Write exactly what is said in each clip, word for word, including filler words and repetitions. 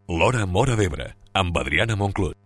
L'Hora Móra d'Ebre, amb Adriana Monclús.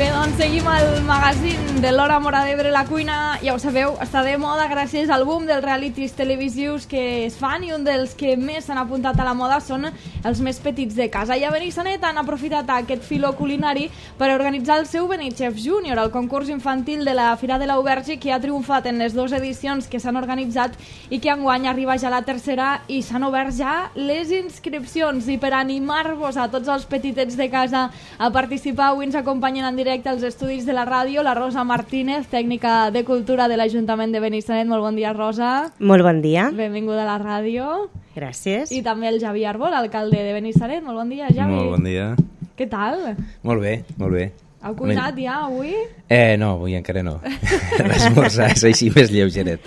Bé, doncs seguim el magazín de l'Hora Móra d'Ebre. La cuina, ja ho sabeu, està de moda gràcies al boom dels realities televisius que es fan, i un dels que més s'han apuntat a la moda són els més petits de casa. I a Benissanet han aprofitat aquest filó culinari per organitzar el seu Benichef Júnior, el concurs infantil de la Fira de l'Auberge, que ha triomfat en les dues edicions que s'han organitzat i que enguany arriba ja a la tercera, i s'han obert ja les inscripcions. I per animar-vos a tots els petitets de casa a participar, avui ens acompanyen en directe als estudis de la ràdio la Rosa Martínez, tècnica de cultura de l'Ajuntament de Benissanet. Molt bon dia, Rosa. Molt bon dia. Benvinguda a la ràdio. Gràcies. I també el Javi Arbol, alcalde de Benissanet. Molt bon dia, Javi. Molt bon dia. Què tal? Molt bé, molt bé. Heu cuinat ja avui? Eh, no, avui encara no. L'esmorzar és així més lleugeret.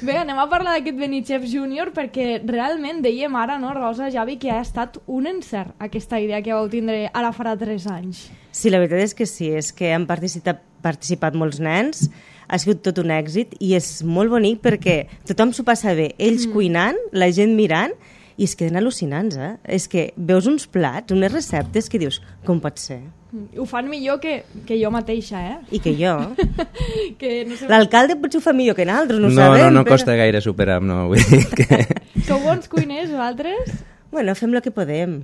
Bé, anem a parlar d'aquest Benichef Júnior, perquè realment dèiem ara, no, Rosa, Javi, que ha estat un encert aquesta idea que vau tindre ara farà tres anys. Sí, la veritat és que sí, és que han participat, participat molts nens, ha sigut tot un èxit i és molt bonic perquè tothom s'ho passa bé, ells mm. cuinant, la gent mirant, i es queden al·lucinants, eh? És que veus uns plats, unes receptes que dius, com pot ser? Ho fan millor que, que jo mateixa, eh? I que jo. que no sé... L'alcalde potser ho fa millor que nosaltres, no ho no, sabem. No, no però... costa gaire superar, no. Vull dir que... Sou bons cuiners, vosaltres? Bueno, fem el que podem.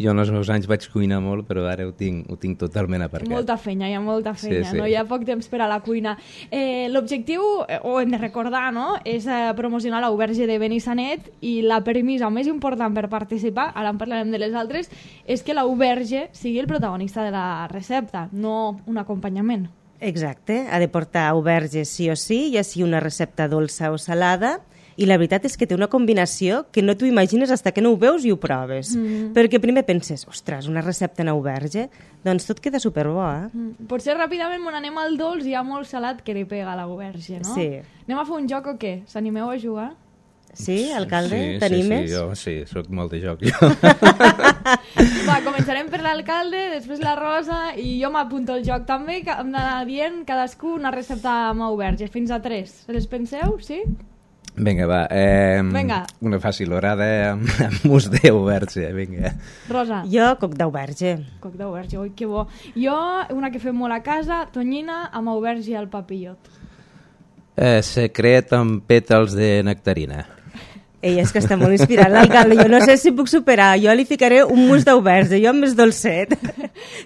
Jo en els meus anys vaig cuinar molt, però ara ho tinc, ho tinc totalment aparcat. Molta feina, hi ha molta feina, sí, sí. no? Hi ha poc temps per a la cuina. Eh, L'objectiu, ho hem de recordar, no?, és eh, promocionar l'Auberge de Benissanet, i la premissa més important per participar, ara en parlarem de les altres, és que l'Auberge sigui el protagonista de la recepta, no un acompanyament. Exacte, ha de portar auberge sí o sí, ja sigui una recepta dolça o salada. I la veritat és que té una combinació que no t'ho imagines fins que no ho veus i ho proves. Mm. Perquè primer penses, ostres, una recepta en auberge, doncs tot queda superbo, eh? Mm. Potser ràpidament quan anem al dolç hi ha molt salat que li pega a l'auberge, no? Sí. Anem a fer un joc o què? S'animeu a jugar? Sí, alcalde? Sí, T'animes? sí, sí, jo sí, soc molt de joc, jo. Va, començarem per l'alcalde, després la Rosa, i jo m'apunto al joc també, que hem d'anar dient cadascú una recepta amb auberge, fins a tres. Se les penseu, sí? Vinga, va. Eh, Vinga. Una fàcil orada amb, amb mus d'auberge, vinga. Rosa. Jo, coc d'auberge. Coc d'auberge, oi, que bo. Jo, una que fem molt a casa, tonyina amb auberge al papillot. Eh, secret amb pètals de nectarina. Ei, és que està molt inspirat l'alcalde. Jo no sé si puc superar. Jo li ficaré un mus d'auberge, jo amb més dolcet.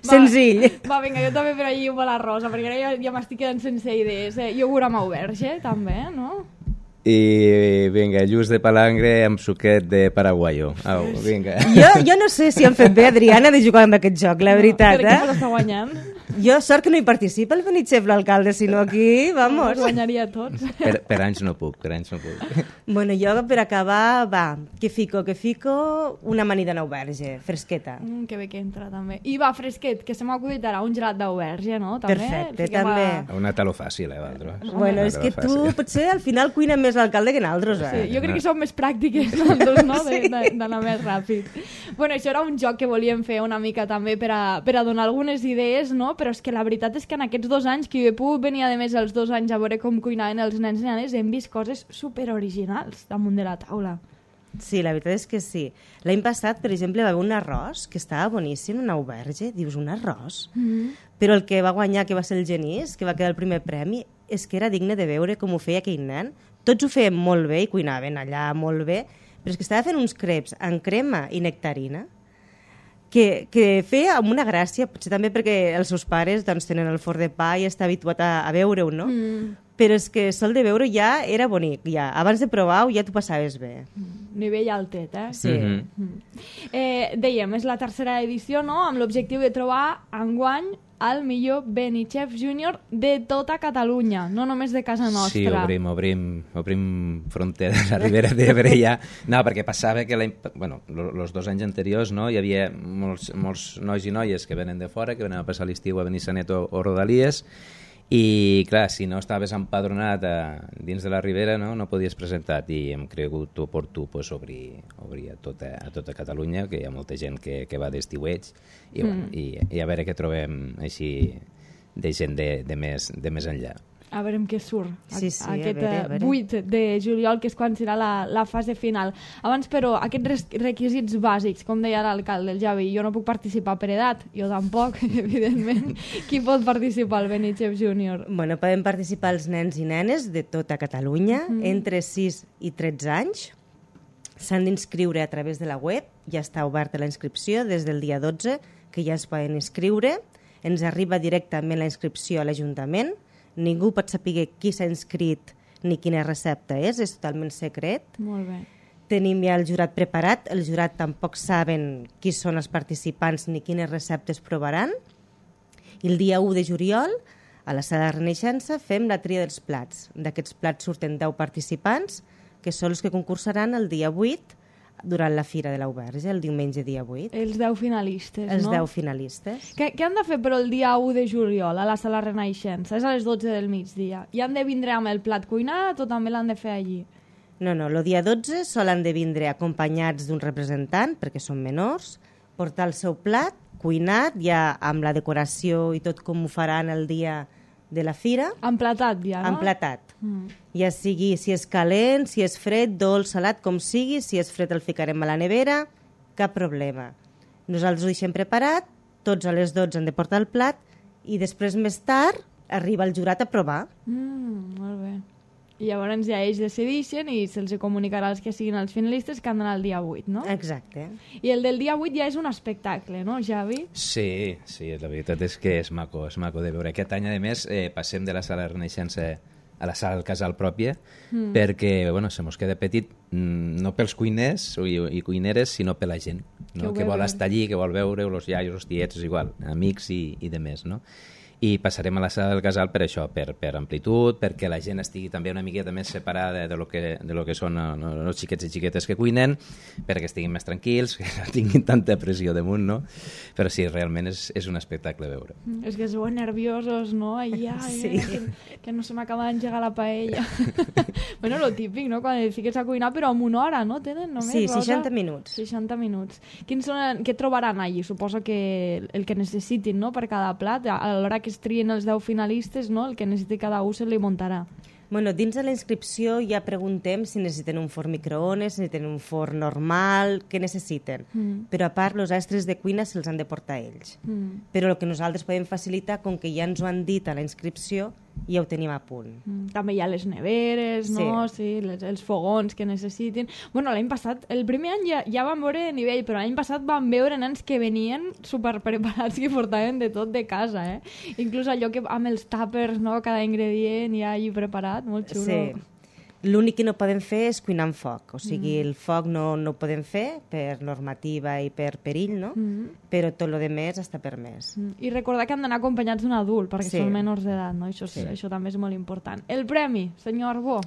Senzill. Va, vinga, jo també per allí amb la Rosa, perquè ara ja, ja m'estic quedant sense idees. Eh? Iogurt amb auberge, també, no? I vinga, lluç de palangre amb suquet de paraguayo. Au, vinga. Jo, jo no sé si han fet bé, Adriana, de jugar amb aquest joc, la veritat, no, crec eh? que està guanyant. Jo, sort que no hi participa el Benichef, l'alcalde, sinó aquí, vamos. No, guanyaria tots. Per, per anys no puc, per anys no puc. Bueno, jo per acabar, va, que fico, que fico una amanida en auberge, fresqueta. Mm, que bé que entra, també. I va, fresquet, que se m'ha acudit ara, un gelat d'auberge, no? També, perfecte, fiquem també. A... Una taló fàcil, eh, vosaltres? Bueno, és que tu potser al final cuina més l'alcalde que nosaltres, eh? Sí, jo crec que som més pràctiques nosaltres, no?, sí. d'anar més ràpid. Bueno, això era un joc que volíem fer una mica també per a, per a donar algunes idees, no? Però és que la veritat és que en aquests dos anys, que jo he pogut venir a més els dos anys a veure com cuinaven els nens i nenes, hem vist coses superoriginals damunt de la taula. Sí, la veritat és que sí. L'any passat, per exemple, va haver un arròs que estava boníssim, un auberge. Dius, un arròs? Mm-hmm. Però el que va guanyar, que va ser el Genís, que va quedar el primer premi, és que era digne de veure com ho feia aquell nen. Tots ho feien molt bé i cuinaven allà molt bé, però és que estava fent uns creps en crema i nectarina que, que feia amb una gràcia, potser també perquè els seus pares doncs, tenen el forn de pa i està habituat a, a veure-ho, no? Mm. Però és que sol de veure ja era bonic, ja. Abans de provar-ho ja t'ho passaves bé. Nivell altet, eh? Sí. Mm-hmm. Mm. Eh, dèiem, és la tercera edició, no?, amb l'objectiu de trobar enguany el millor Benichef Júnior de tota Catalunya, no només de casa nostra. Sí, obrim, obrim, obrim fronteres a Ribera d'Ebre ja. No, perquè passava que bueno, els dos anys anteriors no, hi havia molts, molts nois i noies que venen de fora, que venen a passar l'estiu a Benissanet o, o Rodalies, I, clar, si no estaves empadronat a, dins de la Ribera, no, no podies presentar i hem cregut oportú pues, obrir, obrir a, tota, a tota Catalunya, que hi ha molta gent que, que va d'estiueig, i, mm. bueno, i, i a veure què trobem així de gent de, de, més, de més enllà. A veure què surt sí, sí, aquest a veure, a veure. vuit de juliol, que és quan serà la, la fase final. Abans, però, aquests requisits bàsics, com deia l'alcalde, el Javi, jo no puc participar per edat, jo tampoc, evidentment. Qui pot participar al Benichef Júnior? Bueno, poden participar els nens i nenes de tota Catalunya, mm. entre sis i tretze anys. S'han d'inscriure a través de la web, ja està oberta la inscripció des del dia dotze, que ja es poden inscriure. Ens arriba directament la inscripció a l'Ajuntament. Ningú pot saber qui s'ha inscrit ni quina recepta és, és totalment secret. Molt bé. Tenim ja el jurat preparat, el jurat tampoc saben qui són els participants ni quines receptes provaran. I el dia u de juliol, a la sala de Renaixença, fem la tria dels plats. D'aquests plats surten deu participants, que són els que concursaran el dia vuit, durant la Fira de l'Auberge, el diumenge dia vuit. Els deu finalistes, els no? Els deu finalistes. Què, què han de fer però el dia u de juliol a la sala Renaixença? És a les dotze del migdia. I han de vindre amb el plat cuinat o també l'han de fer allí? No, no, el dia dotze solen de vindre acompanyats d'un representant, perquè són menors, portar el seu plat cuinat, ja amb la decoració i tot com ho faran el dia de la fira. Emplatat ja, no? Emplatat. Mm. Ja sigui si és calent, si és fred, dolç, salat, com sigui, si és fred el ficarem a la nevera, cap problema. Nosaltres ho deixem preparat, tots a les dotze han de portar el plat i després més tard arriba el jurat a provar. Mm, molt bé. I llavors ja ells decideixen i se'ls comunicarà als que siguin els finalistes que han d'anar el dia vuit, no? Exacte. I el del dia vuit ja és un espectacle, no, Javi? Sí, sí, la veritat és que és maco, és maco de veure. Aquest any, a més, eh, passem de la sala Renaixença a la sala del casal pròpia, mm. perquè, bueno, se mos queda petit, no pels cuiners i, i cuineres, sinó per la gent, no? Que, que vol estar allí, que vol veure els iaios, els tiets, és igual, amics i, i de més, no? I passarem a la sala del casal per això, per, per amplitud, perquè la gent estigui també una miqueta més separada de lo que, de lo que són no, els xiquets i xiquetes que cuinen, perquè estiguin més tranquils, que no tinguin tanta pressió damunt, no? Però sí, realment és, és un espectacle veure. Mm, és que sou nerviosos, no? Ai, ai, sí. que, que no se m'acaba d'engegar la paella. Bueno, lo típic, no? Quan et fiques a cuinar, però amb una hora, no? Tenen només, sí, Rosa? seixanta minuts. seixanta minuts. Quins són, què trobaran allí? Suposo que el que necessitin, no?, per cada plat, a l'hora que es trien els deu finalistes, no? El que necessiti cada un se li muntarà. Bueno, dins de la inscripció ja preguntem si necessiten un forn microones, si necessiten un forn normal, què necessiten. Mm. Però a part, els extras de cuina se'ls han de portar ells. Mm. Però el que nosaltres podem facilitar, com que ja ens ho han dit a la inscripció, ja ho tenim a punt. Mm. També hi ha les neveres, no? Sí, sí les, els fogons que necessitin. Bueno, l'any passat, el primer any ja, ja vam veure nivell, però l'any passat vam veure nens que venien super preparats, que portaven de tot de casa, eh? Inclús allò que amb els tàpers, no?, cada ingredient ja allí preparat, molt xulo. Sí. L'únic que no podem fer és cuinar amb foc, o sigui, mm. el foc no, no ho podem fer per normativa i per perill, no? Mm. Però tot el que més està permès. Mm. I recordar que han d'anar acompanyats d'un adult, perquè sí. són menors d'edat, no? Això, sí. això també és molt important. El premi, senyor Arbó?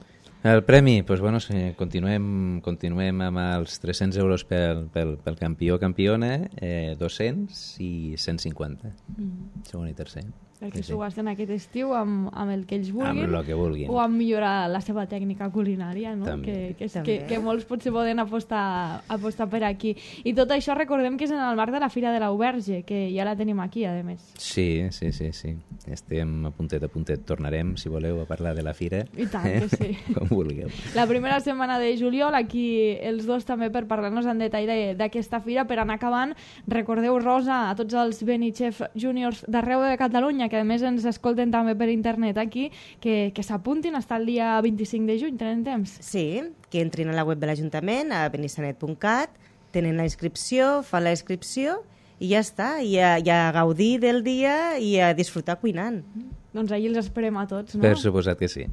El premi, doncs, bueno, sí, continuem, continuem amb els tres-cents euros pel, pel, pel campió o campiona, eh, dos-cents i cent cinquanta, mm. segon i tercer. Perquè sí, s'ho sí. gasten aquest estiu amb, amb el que ells vulguin, amb el que vulguin, o amb millorar la seva tècnica culinària, no? També. Que, que, També. que, que molts potser poden apostar, apostar per aquí. I tot això recordem que és en el marc de la Fira de l'Auberge, que ja la tenim aquí, a més. Sí, sí, sí, sí. Estem a puntet a puntet. Tornarem, si voleu, a parlar de la Fira. I tant, que sí. Com vulgueu. La primera setmana de juliol, aquí els dos també per parlar-nos en detall d'aquesta fira. Per anar acabant, recordeu, Rosa, a tots els Benichef Juniors d'arreu de Catalunya, que a més ens escolten també per internet aquí, que, que s'apuntin fins el dia vint-i-cinc de juny, tenen temps? Sí, que entrin a la web de l'Ajuntament, a benissanet punt cat, tenen la inscripció, fan la inscripció i ja està, i a, i a gaudir del dia i a disfrutar cuinant. Doncs ahir els esperem a tots, no? Per suposat que sí.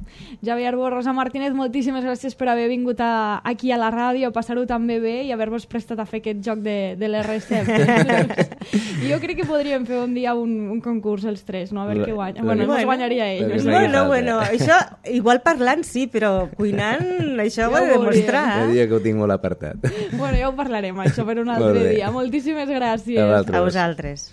Javi Arbó, Rosa Martínez, moltíssimes gràcies per haver vingut a, aquí a la ràdio, a passar-ho també bé i haver-vos prestat a fer aquest joc de, de les receptes. Jo crec que podríem fer un dia un, un concurs els tres, no? A veure què guanya. Bueno, bueno, guanyaria ell. No bueno, bueno, bueno, això, igual parlant sí, però cuinant això ho he de demostrar. El dia que ho tinc molt apartat. Bueno, ja ho parlarem, això, per un altre dia. Moltíssimes gràcies. A vosaltres.